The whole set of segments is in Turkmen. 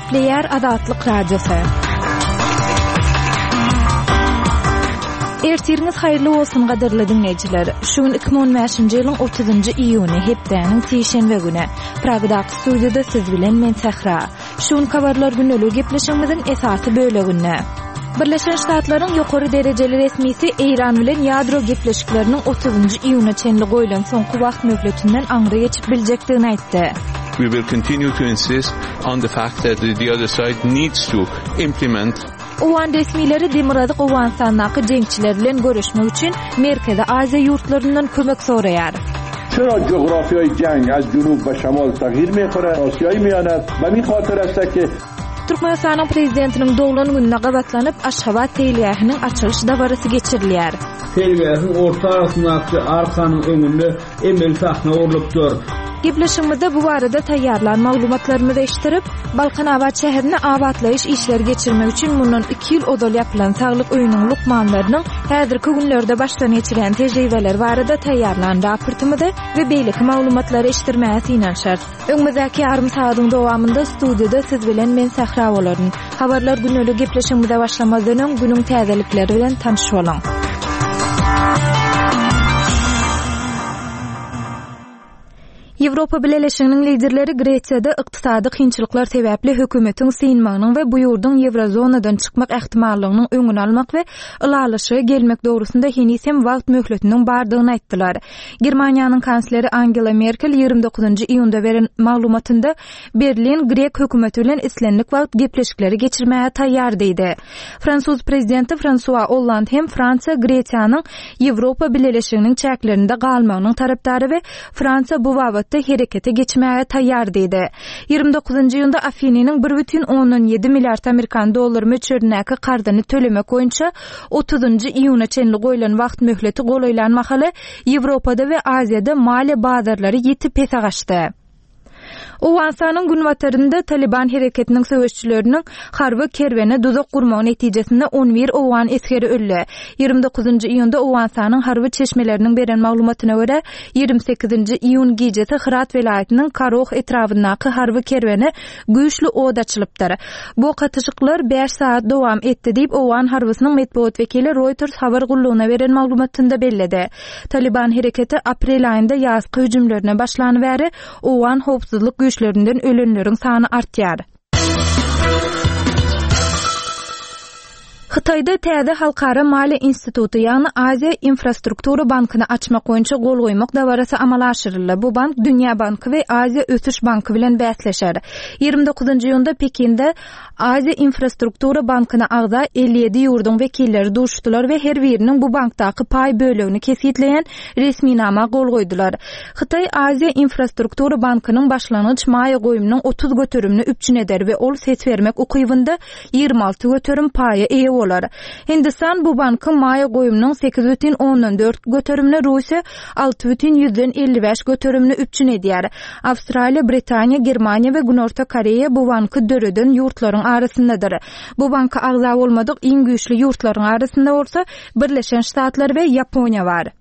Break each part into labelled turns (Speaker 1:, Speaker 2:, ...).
Speaker 1: Gepleýär Azatlyk Radiosy. Ertiriňiz haýyrly bolsun gadyrly diňleýjiler. Şu gün 2015-nji ýylyň 30-njy iýuny, hepdäniň sişenbe güni. Pragadaky studiýada siz bilen men Sähra. Şu günki habarlar gündeligi gepleşigimiziň esasy böleginde. Birleşen Ştatlaryň ýokary derejeli resmisi Eýran bilen ýadro gepleşikleriniň otuzynjy iýuna çenli goýlan soňky wagt möhletinden aňry geçip biljekdigini aýtdy.
Speaker 2: We will continue to insist on the fact that the other side needs to implement
Speaker 1: Owgan resmileri Demirgazyk Owganystandaky jeňçiler bilen göreşmek üçin Merkezi Aziýa ýurtlaryndan kömek soraýar.
Speaker 3: Çera jografýaý jang az junub we şamal tagýir meýkore Asiýaý miýane be min hatyr este ki.
Speaker 1: Türkmenistanyň Prezidentiniň doglan gününe gabatlanyp, Aşgabat seýilgähiniň açylyş dabarasy geçirilýär.
Speaker 4: Seýilgähiň orta arasyndaky arkanyň öňünde emeli sahna gurlupdyr.
Speaker 1: Gepleşigimizde bu barada taýýarlan maglumatlarymyzy eşitdirip, Balkanabat şäherinde abatlaýyş işleri geçirmek üçin mundan iki ýyl ozal ýapylan saglyk öýüniň lukmanlarynyň häzirki günlerde başdan geçirýän tejribeleri barada taýýarlan raportymyzy we beýleki maglumatlary eşitdirmäge synanyşarys. Öňümizdäki ýarym sagadyň dowamynda studiýada siz bilen men Sähra bolaryn. Habarlar gündelik gepleşigimize başlamazdan öň günüň täzelikleri bilen tanyş boluň. Ýewropa Bileleşiginiň liderleri Gresiýada ykdysady kynçylyklar sebäpli hökümetiň synmagynyň we bu ýurduň ýewrozonadan çykmak ähtimallygynyň öňüni almak we ylalaşyga gelmek dogrusynda heniz hem wagt möhletiniň bardygyny aýtdylar. Germaniýanyň kansleri Angela Merkel 29 iýunda beren maglumatynda Berlin grek hökümeti bilen islendik wagt gepleşikleri geçirmäge taýýar diýdi. Fransuz prezidenti Fransua Olland hem Fransiýa Gresiýanyň Ýewropa Bileleşiginiň çäklerinde galmagynyň tarapdary we Fransiýa bu babatda herekete geçmäge taýýar diýdi. 29 iýunda Afinynyň 1,7 milliard amerikan dollary möçberindäki karzyny tölemek boýunça 30 iýuna çenli goýlan wagt möhleti golaýlan mahaly Ýewropada we Aziýada maliýe bazarlary ýiti pese gaçdy. Owganystanyň günbatarynda Talyban hereketiniň söweşçileriniň harby kerwene duzak gurmagy netijesinde on bir owgan esgeri öldi. 29 iýunda Owganystanyň harby çeşmeleriniň beren maglumatyna görä, 28 iýun gijesi Hyrat welaýatynyň Karoh etrabyndaky harby kerwene güýçli od açylypdyr. Bu ok atyşyklar bäş sagat dowam etdi diýip, owgan harbysynyň metbugat wekili Reuters habar gullugyna beren maglumatynda belledi. Talyban hereketi aprel aýynda ýazky hüjümlerine başlany bäri owgan howpsuzlyk güýçlerinden ölenleriň sany artýar. Hytaýda täze halkara maliýe instituty, ýagny Aziýa infrastruktura bankyny açmak boýunça gol goýmak dabarasy amala aşyryldy. Bu bank Dünýä banky we Aziýa ösüş banky bilen bäsleşer. 29 iýunda Pekinde Aziýa infrastruktura bankyna agza 57 ýurduň wekilleri duşdular we her biriniň bu bankdaky paý bölegini kesgitleýän resminama gol goýdular. Hytaý Aziýa infrastruktura bankynyň başlangyç maýa goýumynyň 30 göterimini üpjün eder we ol ses bermek ukybynda 26% paýa eýe bolar. Hindistan bu bankyň maýa goýumynyň 8,4 göterimini, Russiýa 6,55 göterimini üpjün edýär. Awstraliýa, Britaniýa, Germaniýa we Günorta Koreýa bu banky döreden ýurtlaryň arasyndadyr. Bu banka agza bolmadyk iň güýçli ýurtlaryň arasynda bolsa Birleşen Ştatlar we Ýaponiýa bar.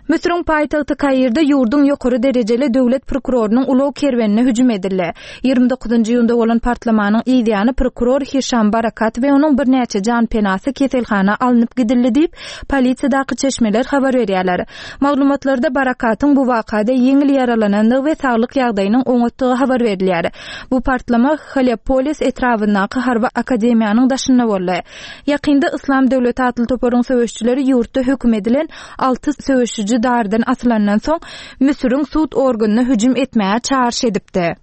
Speaker 1: Müsüriň paýtagty Kairde ýurduň ýokary derejeli döwlet prokurorynyň ulag kerwenine hüjüm edildi. 29 iýunda bolan partlamanyň yzýany prokuror Hişam Barakat we onuň birnäçe janpenasy keselhana alnyp gidildi diýip, polisiýadaky çeşmeler habar berýärler. Maglumatlarda Barakatyň bu wakada ýeňil ýaralanandygy we saglyk ýagdaýynyň oňatdygy habar berilýär. Bu partlama Helepolis etrabyndaky harby akademiýanyň daşynda boldy. Ýakynda Yslam döwleti atly toparyň söweşijileri ýurtda höküm edilen alty söweşiji dardan asylandan soň, Müsüriň sud organyna hüjüm etmäge çagyryş edipdi.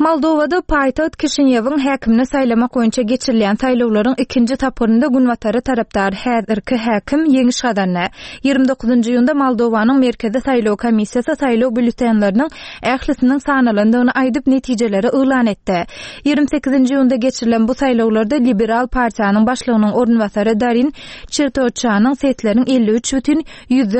Speaker 1: Moldowada paýtagt Kişinýewiň häkimini saýlamak boýunça geçirilýän saýlawlaryň ikinji tapgyrynda günbatara tarapdar häzirki häkim ýeňiş gazandy. 29 iýunda Moldowanyň Merkezi saýlaw komissiýasy saýlaw býulletenleriniň ählisiniň sanalandygyny aýdyp, netijeleri yglan etdi. 28 iýunda geçirilen bu saýlawlarda Liberal partiýanyň başlygynyň orunbasary Darin Çirtoçanyň sesleriň 53 bütin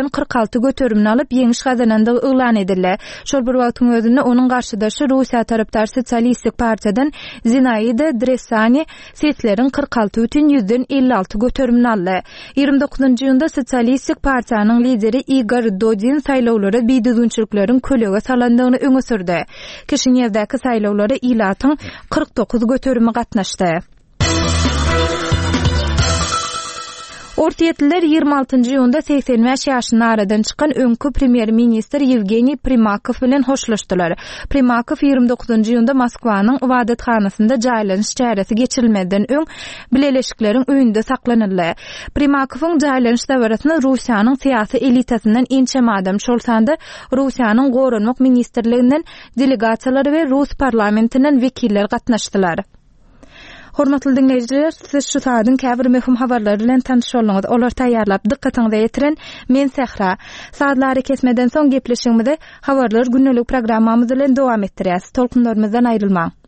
Speaker 1: 46 göterimini alyp, ýeňiş gazanandygy yglan edildi. Şol bir wagtyň özünde, onuň garşydaşy Russiýa tarapdar. Sosialistik partiýadan Zinaida Dresani sesleriň 46 bütin ýüzden 56 göterimini aldy. 29 iýunda Sosialistik partiýanyň lideri Igor Dodin saýlawlara bidüzgünçilikleriň kölege salandygyny öňe sürdi. Kişinýewdäki saýlawlara ilatyň 49 göterimi gatnaşdy. Orsýetliler 26 iýunda 85 ýaşynda aradan çykan öňki premýer-ministr Ýewgeniý Primakow bilen hoşlaşdylar. Primakow 29 iýunda Moskwanyň ybadathanasynda jaýlanyş çäresi geçirilmezden öň Bileleşikleriň öýünde saklanyldy. Primakowyň jaýlanyş dabarasyna Russiýanyň syýasy elitasyndan ençeme adam, şol sanda Russiýanyň Goranmak ministrliginden delegasiýalar we rus parlamentinden wekiller gatnaşdylar. Hormatly diňleýjiler, siz şu saadyň käbir möhüm habarlary bilen tanyş bolduňyz. Olary taýýarlap, dykgatyňyza ýetiren men Sähra. Sazly arakesmeden soň gepleşigimizi Habarlar gündelik programmamyz bilen dowam etdirýäs. Tolkunlarymyzdan aýrylmaň.